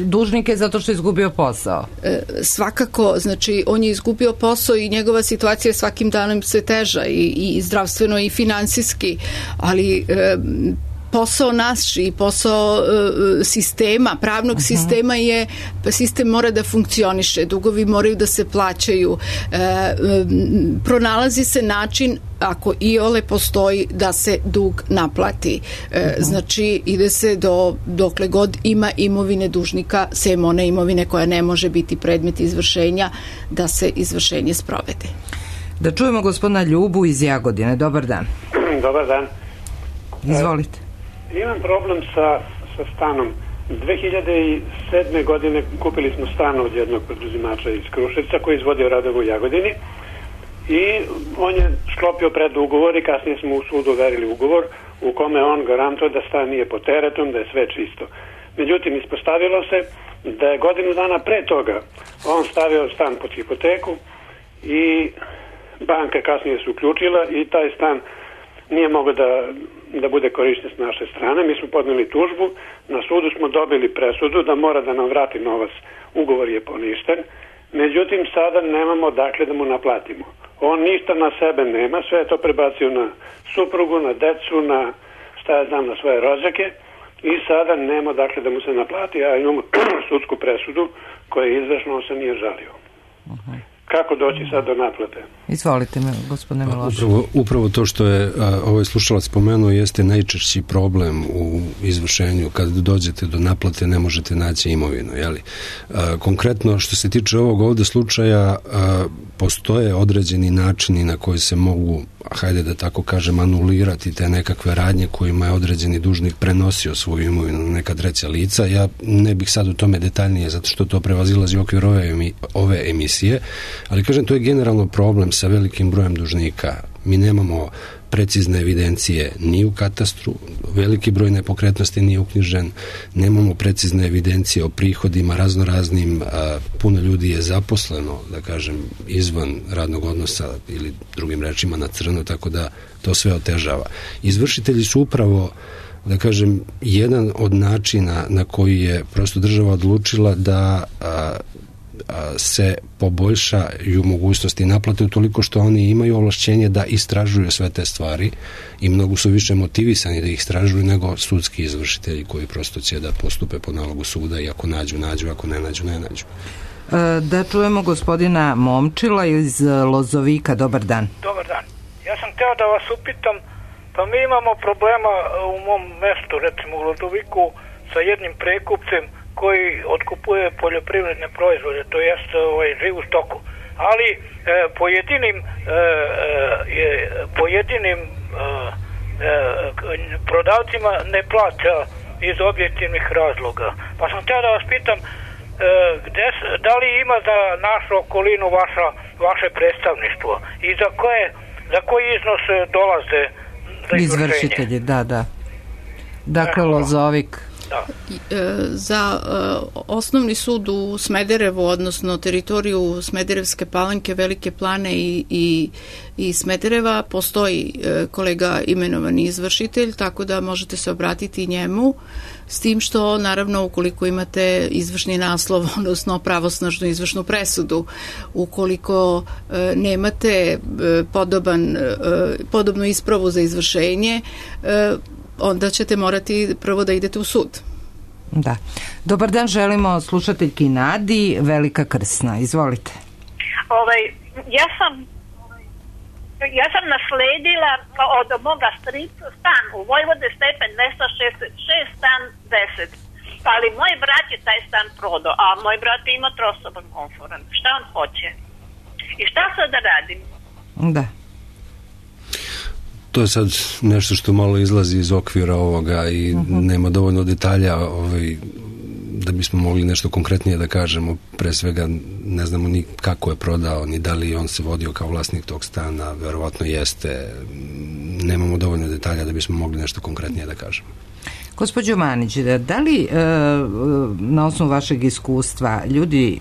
C: Dužnik je zato što je izgubio posao.
E: Svakako, znači, on je izgubio posao i njegova situacija je svakim danom sve teža i zdravstveno i finansijski, ali... posao naš i posao sistema, pravnog sistema je, sistem mora da funkcioniše, dugovi moraju da se plaćaju, pronalazi se način, ako iole postoji, da se dug naplati. Znači, ide se dokle god ima imovine dužnika, sem one imovine koja ne može biti predmet izvršenja, da se izvršenje sprovede.
C: Da čujemo gospodina Ljubu iz Jagodine. Dobar dan.
F: Dobar dan.
C: Izvolite.
F: Imam problem sa stanom. 2007. godine kupili smo stan od jednog preduzimača iz Kruševca koji izvodio radove u Jagodini i on je sklopio predugovor i kasnije smo u sudu overili ugovor u kome on garantuje da stan nije pod teretom, da je sve čisto. Međutim, ispostavilo se da je godinu dana pre toga on stavio stan pod hipoteku i banka kasnije se uključila i taj stan nije mogao da bude korišten s naše strane. Mi smo podneli tužbu, na sudu smo dobili presudu da mora da nam vrati novac, ugovor je poništen, međutim sada nemamo dakle da mu naplatimo. On ništa na sebe nema, sve je to prebacio na suprugu, na decu, na na svoje rođake i sada nema dakle da mu se naplati, a imamo sudsku presudu koja je izvršna, on se nije žalio. Kako doći sad do naplate?
C: Izvolite me, gospodine Milošević.
B: Upravo to što je ovaj slušalac spomenuo jeste najčešći problem u izvršenju. Kad dođete do naplate ne možete naći imovinu. Jeli? Konkretno što se tiče ovog ovdje slučaja, postoje određeni načini na koji se mogu, hajde da tako kažem, anulirati te nekakve radnje kojima je određeni dužnik prenosio svoju imovinu na neka treća lica. Ja ne bih sad u tome detaljnije, zato što to prevazilazi okvir ove emisije, ali kažem, to je generalno problem sa velikim brojem dužnika. Mi nemamo precizne evidencije ni u katastru, veliki broj nepokretnosti nije uknjižen, nemamo precizne evidencije o prihodima raznoraznim, puno ljudi je zaposleno, da kažem, izvan radnog odnosa ili drugim rečima na crno, tako da to sve otežava. Izvršitelji su upravo, da kažem, jedan od načina na koji je prosto država odlučila da se poboljšaju mogućnosti naplate utoliko što oni imaju ovlašćenje da istražuju sve te stvari i mnogo su više motivisani da ih istražuju nego sudski izvršitelji koji prosto će da postupe po nalogu suda i ako nađu, ako ne nađu, ne nađu.
C: Da čujemo gospodina Momčila iz Lozovika. Dobar dan.
G: Dobar dan. Ja sam hteo da vas upitam, pa mi imamo problema u mom mestu, recimo u Lozoviku, sa jednim prekupcem koji otkupuje poljoprivredne proizvode, to jest živu stoku. Ali pojedinim prodavcima ne plaća iz objektivnih razloga. Pa sam htio da vas pitam, da li ima za našu okolinu vaše predstavništvo i za koji iznos dolaze za
C: izvršitelji? Da. Dakle, Lozovik.
E: Za osnovni sud u Smederevu, odnosno teritoriju Smederevske Palanke, Velike Plane i Smedereva postoji kolega imenovani izvršitelj, tako da možete se obratiti njemu, s tim što naravno ukoliko imate izvršni naslov, odnosno pravosnažnu izvršnu presudu, ukoliko nemate podobnu ispravu za izvršenje, onda ćete morati prvo da idete u sud.
C: Da. Dobar dan, želimo slušateljki Nadi, Velika Krsna. Izvolite.
H: Ja sam nasledila od moga strica stan u Vojvode Stepen 266, stan 10. Ali moj brat je taj stan prodao, a moj brat ima trosoban komforan. Šta on hoće? I šta sad da radim?
C: Da.
B: To je sad nešto što malo izlazi iz okvira ovoga i nema dovoljno detalja da bismo mogli nešto konkretnije da kažemo. Pre svega ne znamo ni kako je prodao, ni da li on se vodio kao vlasnik tog stana, verovatno jeste. Nemamo dovoljno detalja da bismo mogli nešto konkretnije da kažemo.
C: Gospođo Manić, da li na osnovu vašeg iskustva ljudi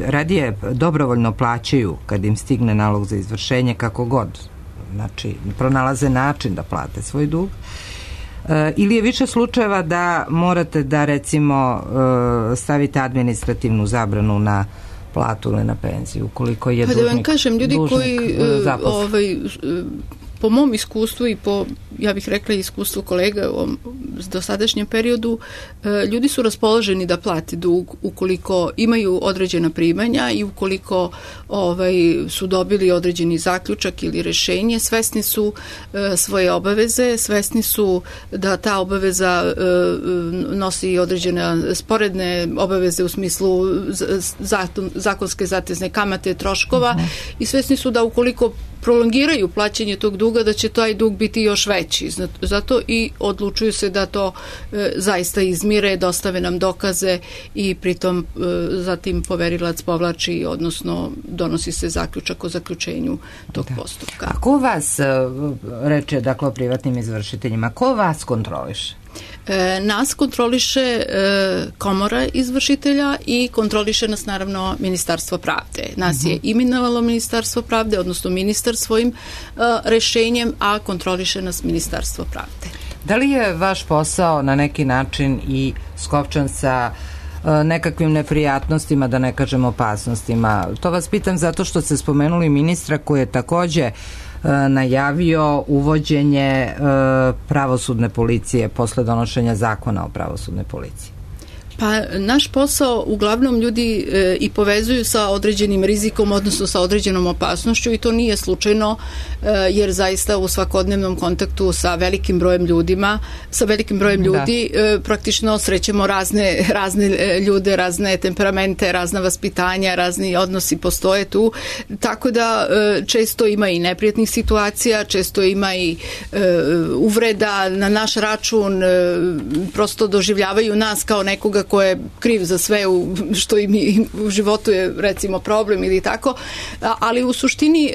C: radije dobrovoljno plaćaju kad im stigne nalog za izvršenje kako god? Znači, pronalaze način da plate svoj dug, ili je više slučajeva da morate da recimo stavite administrativnu zabranu na platu ili na penziju ukoliko je dužnik,
E: da vam kažem, ljudi koji po mom iskustvu i po, ja bih rekla, iskustvu kolega u dosadašnjem periodu, ljudi su raspoloženi da plati dug ukoliko imaju određena primanja i ukoliko su dobili određeni zaključak ili rešenje, svesni su svoje obaveze, svesni su da ta obaveza nosi određene sporedne obaveze u smislu zakonske zatezne kamate, troškova, i svesni su da ukoliko prolongiraju plaćanje tog duga, da će taj dug biti još veći. Zato i odlučuju se da to zaista izmire, dostave nam dokaze i pritom zatim poverilac povlači, odnosno donosi se zaključak o zaključenju tog postupka.
C: A ko vas reče, dakle, o privatnim izvršiteljima, ko vas kontroliše?
E: Nas kontroliše komora izvršitelja i kontroliše nas naravno Ministarstvo pravde. Nas je imenovalo Ministarstvo pravde, odnosno ministar svojim rešenjem, a kontroliše nas Ministarstvo pravde.
C: Da li je vaš posao na neki način i skopčan sa nekakvim neprijatnostima, da ne kažem opasnostima? To vas pitam zato što ste spomenuli ministra koji je takođe najavio uvođenje pravosudne policije posle donošenja zakona o pravosudnoj policiji.
E: Pa naš posao uglavnom ljudi i povezuju sa određenim rizikom, odnosno sa određenom opasnošću, i to nije slučajno, jer zaista u svakodnevnom kontaktu sa velikim brojem ljudi praktično srećemo razne ljude, razne temperamente, razna vaspitanja, razni odnosi postoje tu, tako da često ima i neprijatnih situacija, često ima i uvreda na naš račun, prosto doživljavaju nas kao nekoga ko je kriv za sve što im u životu je recimo problem ili tako, ali u suštini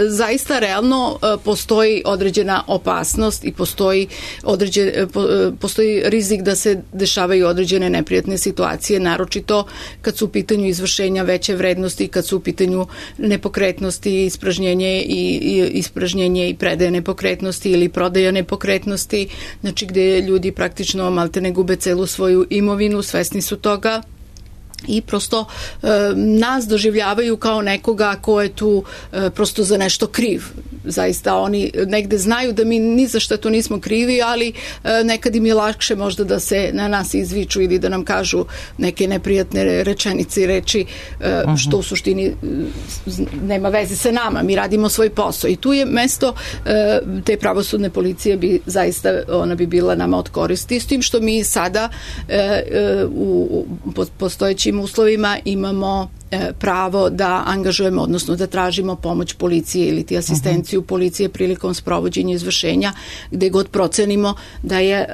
E: zaista realno postoji određena opasnost i postoji rizik da se dešavaju određene neprijatne situacije, naročito kad su u pitanju izvršenja veće vrednosti, kad su u pitanju nepokretnosti, ispražnjenje i predaje nepokretnosti ili prodaja nepokretnosti, znači gde ljudi praktično maltene gube celu svoju imovinu, svesni su toga i prosto nas doživljavaju kao nekoga ko je tu prosto za nešto kriv. Zaista oni negde znaju da mi ni za što tu nismo krivi, ali nekad im je lakše možda da se na nas izviču ili da nam kažu neke neprijatne rečenice i reči, što u suštini nema veze sa nama. Mi radimo svoj posao i tu je mesto te pravosudne policije ona bi bila nama od koristi, s tim što mi sada u postojećim uslovima imamo pravo da angažujemo, odnosno da tražimo pomoć policije ili ti asistenciju policije prilikom sprovođenja izvršenja, gde god procenimo da je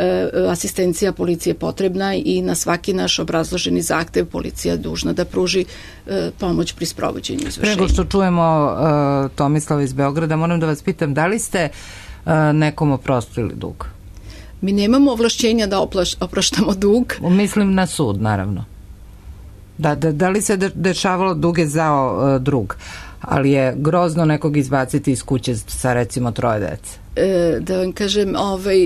E: asistencija policije potrebna i na svaki naš obrazloženi zahtev policija dužna da pruži pomoć pri sprovođenju izvršenja.
C: Prego što čujemo Tomislava iz Beograda, moram da vas pitam, da li ste nekom oprostili dug?
E: Mi nemamo ovlašćenja da opraštamo dug.
C: Mislim na sud, naravno. Da li se dešavalo dug je zao drug, ali je grozno nekog izbaciti iz kuće sa recimo 3 dece?
E: Da vam kažem,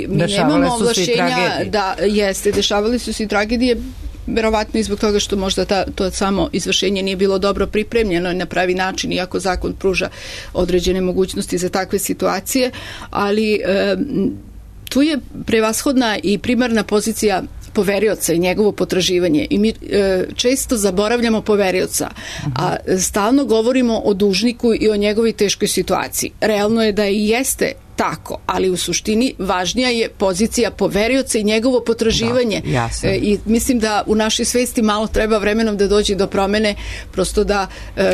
E: mi nemamo ovlašćenja da jeste, dešavali su se i tragedije, verovatno i zbog toga što možda to samo izvršenje nije bilo dobro pripremljeno na pravi način, iako zakon pruža određene mogućnosti za takve situacije, ali tu je prevashodna i primarna pozicija poverioca i njegovo potraživanje i mi često zaboravljamo poverioca, a stalno govorimo o dužniku i o njegovoj teškoj situaciji. Realno je da i jeste tako, ali u suštini važnija je pozicija poverioca i njegovo potraživanje. I mislim da u našoj svesti malo treba vremenom da dođe do promene, prosto da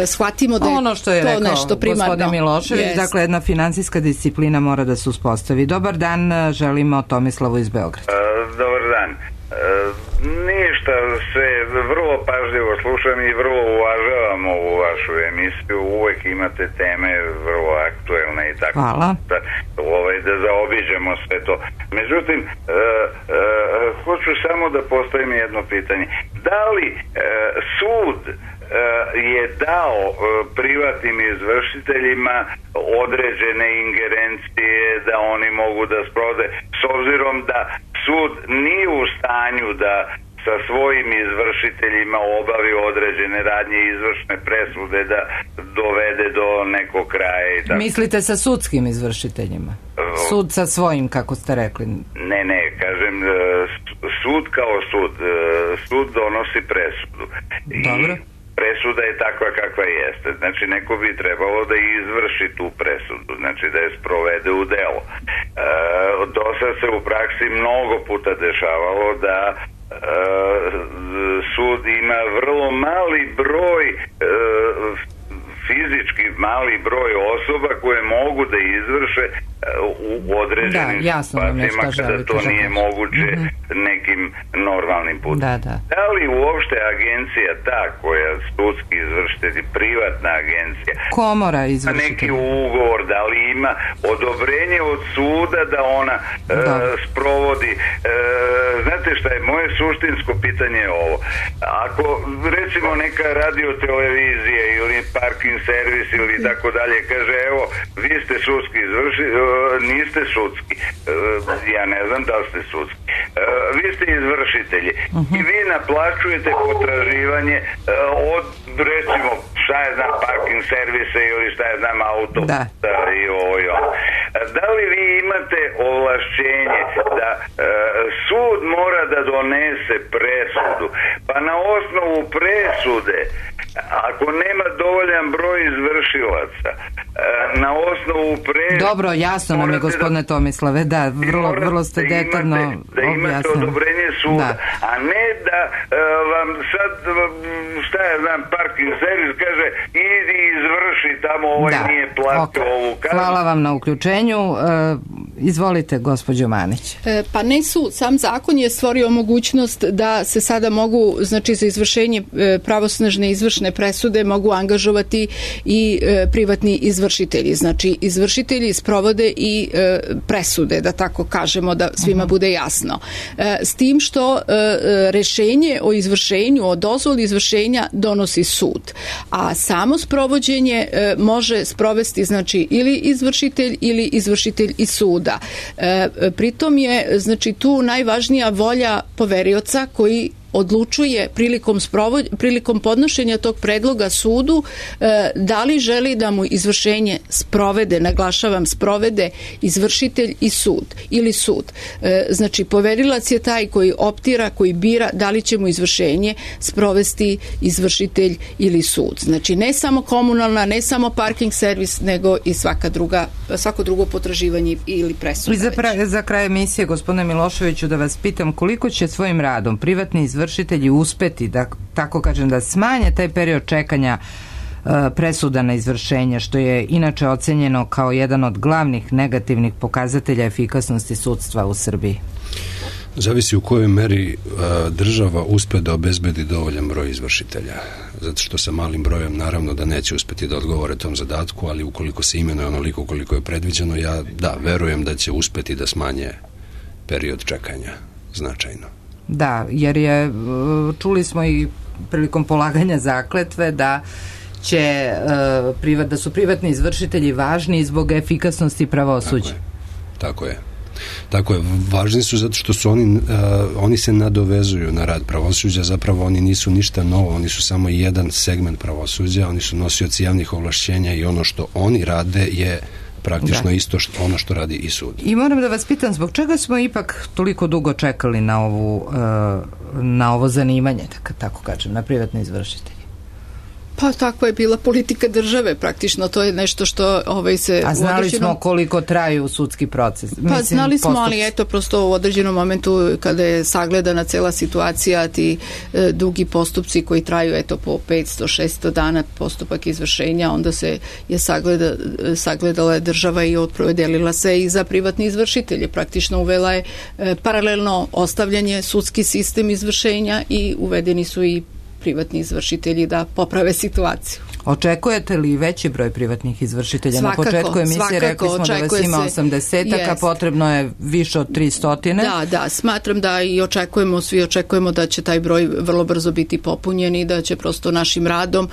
E: shvatimo da je
C: ono što je
E: to
C: rekao
E: nešto primarno.
C: Gospodin Milošević, dakle jedna finansijska disciplina mora da se uspostavi. Dobar dan, želimo Tomislavu iz Beograda.
D: Dobar dan. Ništa, sve vrlo pažljivo slušam i vrlo uvažavam ovu vašu emisiju, uvek imate teme vrlo aktuelne i tako.
C: Hvala.
D: Da zaobiđemo sve to. Međutim, hoću samo da postavim jedno pitanje. Da li sud je dao privatnim izvršiteljima određene ingerencije da oni mogu da sprovode, s obzirom da sud nije u stanju da sa svojim izvršiteljima obavi određene radnje i izvršne presude da dovede do nekog kraja i tako.
C: Mislite sa sudskim izvršiteljima? Sud sa svojim, kako ste rekli?
D: Ne, kažem sud kao sud. Sud donosi presudu.
C: Dobro.
D: Presuda je takva kakva jeste. Znači, neko bi trebalo da izvrši tu presudu, znači da je sprovede u delo. Do sad se u praksi mnogo puta dešavalo da sud ima vrlo mali broj fizički mali broj osoba koje mogu da izvrše u određenim situacijama kada to nije moguće nekim normalnim putem. Da li uopšte agencija ta koja sudski izvršitelj, privatna agencija,
C: komora izvršitelj,
D: neki ugovor, da li ima odobrenje od suda da ona sprovodi? Znate šta je moje suštinsko pitanje je ovo. Ako recimo neka radiotelevizija ili parking servis ili tako dalje kaže, evo vi ste sudski niste sudski, ja ne znam da li ste sudski, vi ste izvršitelji i vi naplaćujete potraživanje od recimo šta je znam parking servise ili šta je znam auto i ovo i ono. Da li vi imate ovlašćenje da sud mora da donese presudu, pa na osnovu presude ako nema dovoljan broj izvršilaca, na osnovu presude...
C: Dobro, jasno nam je, gospodine Tomislave, da, vrlo ste detaljno objasnili.
D: Da imate odobrenje suda, a ne da vam sad, šta ja znam, parking servis kaže, idi izvrši tamo, nije platio ovu kaznu.
C: Hvala vam na uključenju. Izvolite, gospođo Manić.
E: Pa ne sud, sam zakon je stvorio mogućnost da se sada mogu, znači za izvršenje pravosnažne izvršne presude mogu angažovati i privatni izvršitelji. Znači izvršitelji sprovode i presude, da tako kažemo, da svima bude jasno. S tim što rešenje o izvršenju, o dozvoli izvršenja donosi sud, a samo sprovođenje može sprovesti znači ili izvršitelj ili izvršitelj iz suda. Pritom je znači tu najvažnija volja poverioca koji odlučuje prilikom podnošenja tog predloga sudu da li želi da mu izvršenje sprovede, naglašavam sprovede izvršitelj i sud ili sud. Znači poverilac je taj koji optira, koji bira da li će mu izvršenje sprovesti izvršitelj ili sud. Znači ne samo komunalna, ne samo parking servis, nego i svako drugo potraživanje ili presuda.
C: I za kraj emisije, gospodine Miloševiću, da vas pitam koliko će svojim radom privatni izvršitelji uspeti, da tako kažem, da smanje taj period čekanja presuda na izvršenje, što je inače ocenjeno kao jedan od glavnih negativnih pokazatelja efikasnosti sudstva u Srbiji?
B: Zavisi u kojoj meri država uspe da obezbedi dovoljan broj izvršitelja. Zato što sa malim brojem naravno da neće uspeti da odgovore tom zadatku, ali ukoliko se imenuje onoliko koliko je predviđeno, ja verujem da će uspeti da smanje period čekanja značajno.
C: Da, jer čuli smo i prilikom polaganja zakletve da su privatni izvršitelji važni zbog efikasnosti pravosuđa. Tako je. Važni su zato što su oni se nadovezuju na rad pravosuđa, zapravo oni nisu ništa novo, oni su samo jedan segment pravosuđa, oni su nosioci javnih ovlašćenja i ono što oni rade je praktično isto ono što radi i sud. I moram da vas pitam, zbog čega smo ipak toliko dugo čekali na ovo zanimanje, tako kažem, na privatne izvršitelje?
E: Pa takva je bila politika države, praktično to je nešto što se...
C: A znali smo koliko traju sudski proces?
E: Pa znali smo, ali eto, prosto u određenom momentu kada je sagledana cela situacija, ti dugi postupci koji traju eto po 500-600 dana postupak izvršenja, onda se je sagledala država i opredelila se i za privatni izvršitelje. Praktično uvela je paralelno ostavljanje sudski sistem izvršenja i uvedeni su i privatni izvršitelji da poprave situaciju.
C: Očekujete li veći broj privatnih izvršitelja? Na početku emisije rekli smo da vas ima 80, a potrebno je više od 300.
E: Da, smatram da i svi očekujemo da će taj broj vrlo brzo biti popunjen i da će prosto našim radom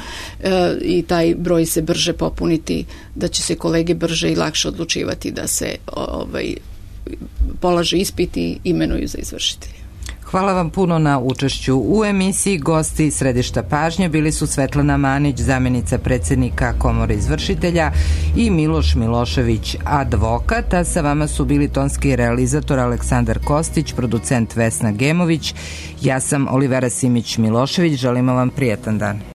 E: i taj broj se brže popuniti, da će se kolege brže i lakše odlučivati da se polaže ispit i imenuju za izvršitelje.
C: Hvala vam puno na učešću u emisiji. Gosti središta pažnje bili su Svetlana Manić, zamjenica predsjednika Komore izvršitelja, i Miloš Milošević, advokat, a sa vama su bili tonski realizator Aleksandar Kostić, producent Vesna Gemović. Ja sam Olivera Simić Milošević, želimo vam prijatan dan.